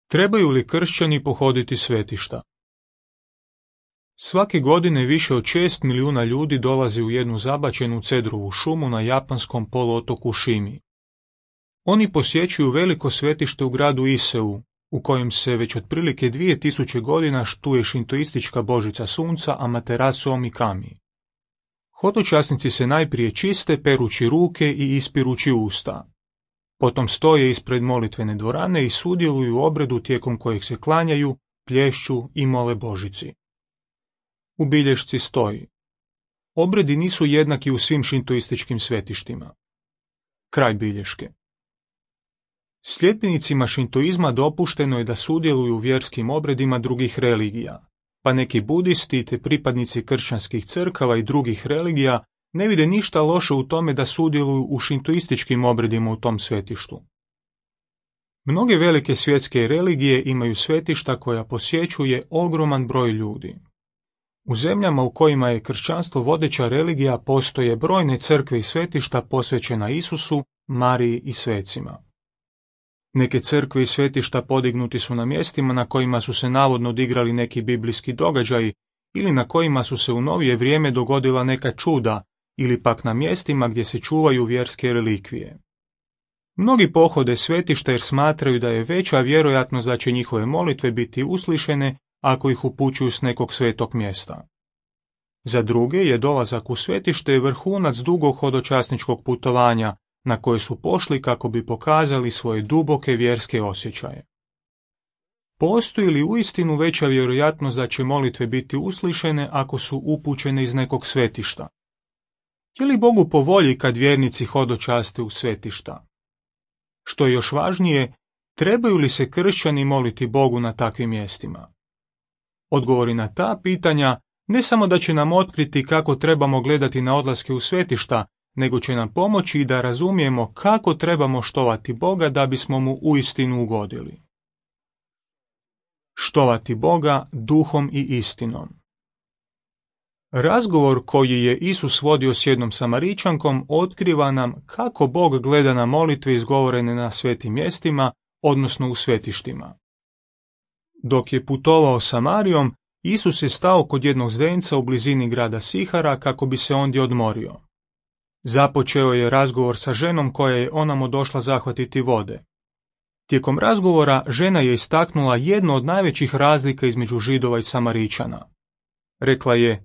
Trebaju li kršćani pohoditi svetišta? Svake godine više od 6 milijuna ljudi dolazi u jednu zabačenu cedrovu šumu na japanskom poluotoku Šimi. Oni posjećuju veliko svetište u gradu Iseu, u kojem se već otprilike 2000 godina štuje šintoistička božica sunca Amaterasu Omikami. Hodočasnici se najprije čiste perući ruke i ispirući usta. Potom stoje ispred molitvene dvorane i sudjeluju u obredu tijekom kojeg se klanjaju, plješću i mole Božici. U bilješci stoji: obredi nisu jednaki u svim šintoističkim svetištima. Kraj bilješke. Sljedbenicima šintoizma dopušteno je da sudjeluju u vjerskim obredima drugih religija, pa neki budisti te pripadnici kršćanskih crkava i drugih religija ne vide ništa loše u tome da sudjeluju u šintoističkim obredima u tom svetištu. Mnoge velike svjetske religije imaju svetišta koja posjećuje ogroman broj ljudi. U zemljama u kojima je kršćanstvo vodeća religija postoje brojne crkve i svetišta posvećena Isusu, Mariji i svecima. Neke crkve i svetišta podignuti su na mjestima na kojima su se navodno odigrali neki biblijski događaji ili na kojima su se u novije vrijeme dogodila neka čuda, ili pak na mjestima gdje se čuvaju vjerske relikvije. Mnogi pohode svetišta jer smatraju da je veća vjerojatnost da će njihove molitve biti uslišene ako ih upućuju s nekog svetog mjesta. Za druge je dolazak u svetište vrhunac dugog hodočasničkog putovanja na koje su pošli kako bi pokazali svoje duboke vjerske osjećaje. Postoji li uistinu veća vjerojatnost da će molitve biti uslišene ako su upućene iz nekog svetišta? Je li Bogu po volji kad vjernici hodočaste u svetišta? Što je još važnije, trebaju li se kršćani moliti Bogu na takvim mjestima? Odgovori na ta pitanja ne samo da će nam otkriti kako trebamo gledati na odlaske u svetišta, nego će nam pomoći i da razumijemo kako trebamo štovati Boga da bismo mu uistinu ugodili. Štovati Boga duhom i istinom. Razgovor koji je Isus vodio s jednom Samaričankom otkriva nam kako Bog gleda na molitve izgovorene na svetim mjestima, odnosno u svetištima. Dok je putovao Samarijom, Isus je stao kod jednog zdenca u blizini grada Sihara kako bi se ondje odmorio. Započeo je razgovor sa ženom koja je onamo došla zahvatiti vode. Tijekom razgovora žena je istaknula jednu od najvećih razlika između Židova i Samaričana. Rekla je: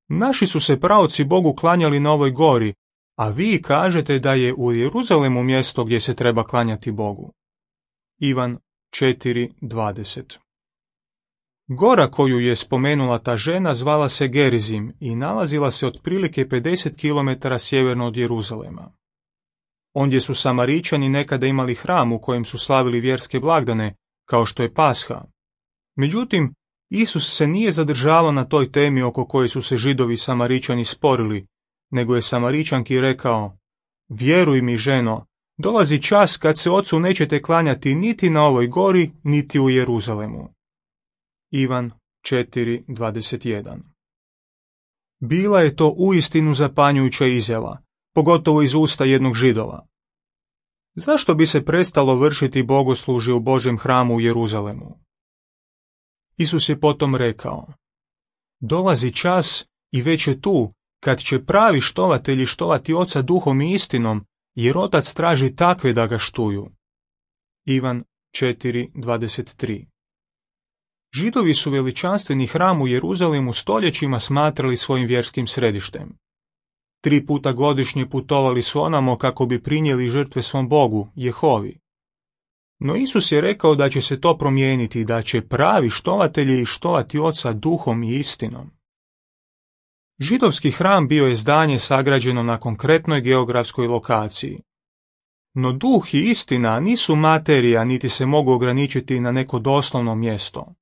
naši su se praoci Bogu klanjali na ovoj gori, a vi kažete da je u Jeruzalemu mjesto gdje se treba klanjati Bogu. Ivan 4:20. Gora koju je spomenula ta žena zvala se Gerizim i nalazila se otprilike 50 km sjeverno od Jeruzalema. Ondje su Samaričani nekada imali hram u kojem su slavili vjerske blagdane, kao što je Pasha. Međutim, Isus se nije zadržavao na toj temi oko koje su se Židovi i Samaričani sporili, nego je Samaričanki rekao: vjeruj mi, ženo, dolazi čas kad se Ocu nećete klanjati niti na ovoj gori, niti u Jeruzalemu. Ivan 4:21. Bila je to uistinu zapanjujuća izjava, pogotovo iz usta jednog Židova. Zašto bi se prestalo vršiti bogoslužje u Božjem hramu u Jeruzalemu? Isus je potom rekao: dolazi čas i već je tu kad će pravi štovatelji štovati Oca duhom i istinom, jer Otac traži takve da ga štuju. Ivan 4:23. Židovi su veličanstveni hram u Jeruzalemu stoljećima smatrali svojim vjerskim središtem. 3 puta godišnje putovali su onamo kako bi prinijeli žrtve svom Bogu, Jehovi. No Isus je rekao da će se to promijeniti i da će pravi štovatelji štovati Oca duhom i istinom. Židovski hram bio je zdanje sagrađeno na konkretnoj geografskoj lokaciji. No duh i istina nisu materija niti se mogu ograničiti na neko doslovno mjesto.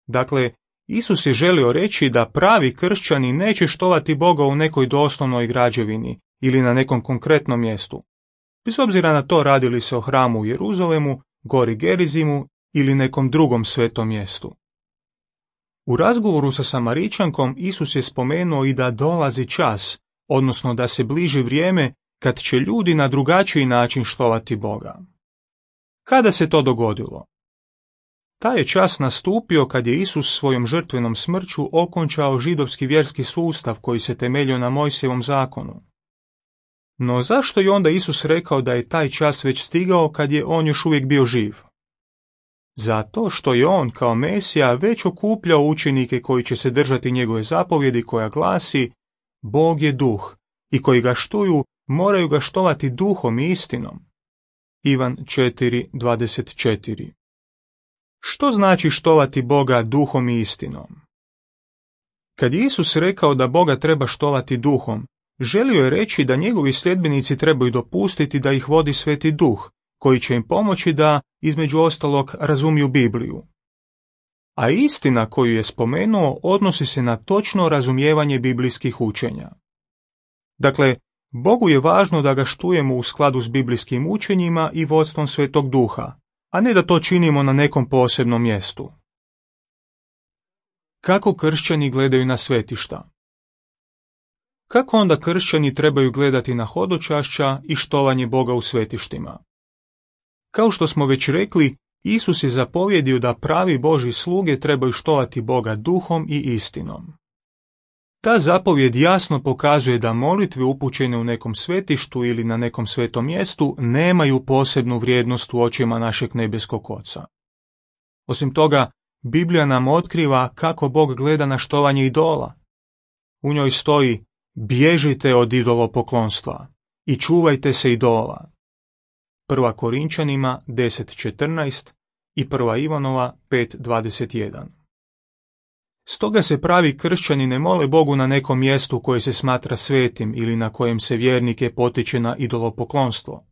Dakle, Isus je želio reći da pravi kršćani neće štovati Boga u nekoj doslovnoj građevini ili na nekom konkretnom mjestu, bez obzira na to radi li se o hramu u Jeruzalemu, gori Gerizimu ili nekom drugom svetom mjestu. U razgovoru sa Samaričankom Isus je spomenuo i da dolazi čas, odnosno da se bliži vrijeme kad će ljudi na drugačiji način štovati Boga. Kada se to dogodilo? Taj je čas nastupio kad je Isus svojom žrtvenom smrću okončao židovski vjerski sustav koji se temeljio na Mojsijevom zakonu. No zašto je onda Isus rekao da je taj čas već stigao kad je on još uvijek bio živ? Zato što je on kao Mesija već okupljao učenike koji će se držati njegove zapovjedi koja glasi: Bog je duh i koji ga štuju moraju ga štovati duhom i istinom. Ivan 4:24. Što znači štovati Boga duhom i istinom? Kad je Isus rekao da Boga treba štovati duhom, želio je reći da njegovi sljedbenici trebaju dopustiti da ih vodi Sveti Duh, koji će im pomoći da, između ostalog, razumiju Bibliju. A istina koju je spomenuo odnosi se na točno razumijevanje biblijskih učenja. Dakle, Bogu je važno da ga štujemo u skladu s biblijskim učenjima i vodstvom Svetog Duha, a ne da to činimo na nekom posebnom mjestu. Kako kršćani gledaju na svetišta? Kako onda kršćani trebaju gledati na hodočašća i štovanje Boga u svetištima? Kao što smo već rekli, Isus je zapovjedio da pravi Božji sluge trebaju štovati Boga duhom i istinom. Ta zapovjed jasno pokazuje da molitve upućene u nekom svetištu ili na nekom svetom mjestu nemaju posebnu vrijednost u očima našeg nebeskog Oca. Osim toga, Biblija nam otkriva kako Bog gleda na štovanje idola. U njoj stoji: bježite od idolopoklonstva i čuvajte se idola. 1. Korinčanima 10:14 i 1. Ivanova 5:21. Stoga se pravi kršćani ne mole Bogu na nekom mjestu koje se smatra svetim ili na kojem se vjernike potiče na idolopoklonstvo.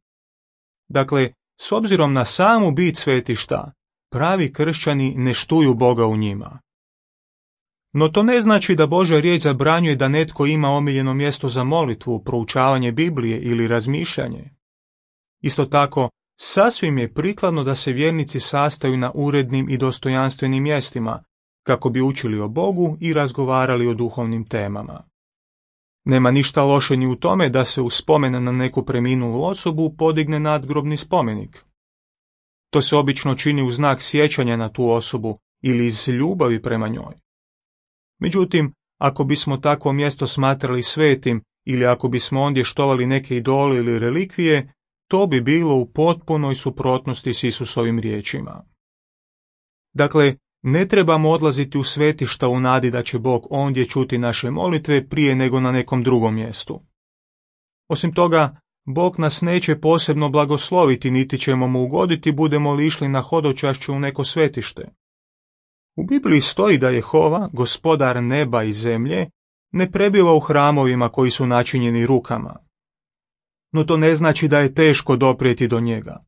Dakle, s obzirom na samu bit svetišta, pravi kršćani ne štuju Boga u njima. No to ne znači da Božja riječ zabranjuje da netko ima omiljeno mjesto za molitvu, proučavanje Biblije ili razmišljanje. Isto tako, sasvim je prikladno da se vjernici sastaju na urednim i dostojanstvenim mjestima, kako bi učili o Bogu i razgovarali o duhovnim temama. Nema ništa loše ni u tome da se u spomen na neku preminulu osobu podigne nadgrobni spomenik. To se obično čini u znak sjećanja na tu osobu ili iz ljubavi prema njoj. Međutim, ako bismo takvo mjesto smatrali svetim ili ako bismo ondje štovali neke idole ili relikvije, to bi bilo u potpunoj suprotnosti s Isusovim riječima. Dakle, ne trebamo odlaziti u svetišta u nadi da će Bog ondje čuti naše molitve prije nego na nekom drugom mjestu. Osim toga, Bog nas neće posebno blagosloviti niti ćemo mu ugoditi budemo li išli na hodočašće u neko svetište. U Bibliji stoji da Jehova, gospodar neba i zemlje, ne prebiva u hramovima koji su načinjeni rukama. No to ne znači da je teško doprijeti do njega.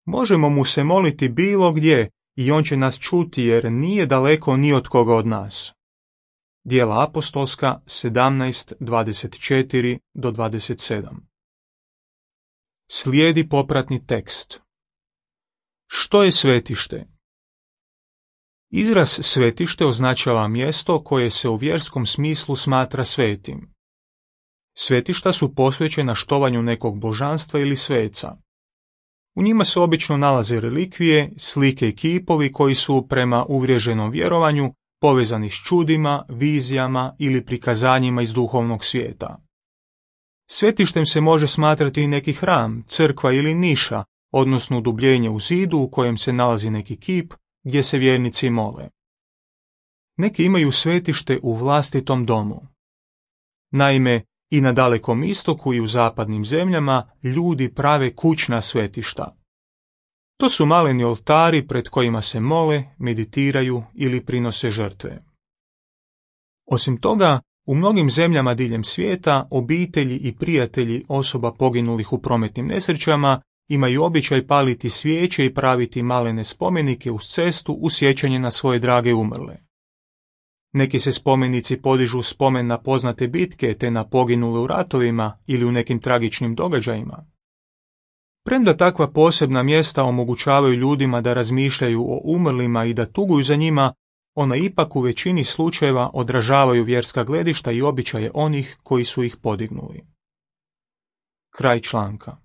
Možemo mu se moliti bilo gdje i on će nas čuti jer nije daleko ni od koga od nas. Djela apostolska 17:24-27. Slijedi popratni tekst. Što je svetište? Izraz svetište označava mjesto koje se u vjerskom smislu smatra svetim. Svetišta su posvećena štovanju nekog božanstva ili sveca. U njima se obično nalaze relikvije, slike i kipovi koji su prema uvriježenom vjerovanju povezani s čudima, vizijama ili prikazanjima iz duhovnog svijeta. Svetištem se može smatrati i neki hram, crkva ili niša, odnosno udubljenje u zidu u kojem se nalazi neki kip gdje se vjernici mole. Neki imaju svetište u vlastitom domu. Naime, i na Dalekom istoku i u zapadnim zemljama ljudi prave kućna svetišta. To su maleni oltari pred kojima se mole, meditiraju ili prinose žrtve. Osim toga, u mnogim zemljama diljem svijeta obitelji i prijatelji osoba poginulih u prometnim nesrećama imaju običaj paliti svijeće i praviti malene spomenike uz cestu u sjećanje na svoje drage umrle. Neki se spomenici podižu spomen na poznate bitke te na poginule u ratovima ili u nekim tragičnim događajima. Premda takva posebna mjesta omogućavaju ljudima da razmišljaju o umrlima i da tuguju za njima, ona ipak u većini slučajeva odražavaju vjerska gledišta i običaje onih koji su ih podignuli. Kraj članka.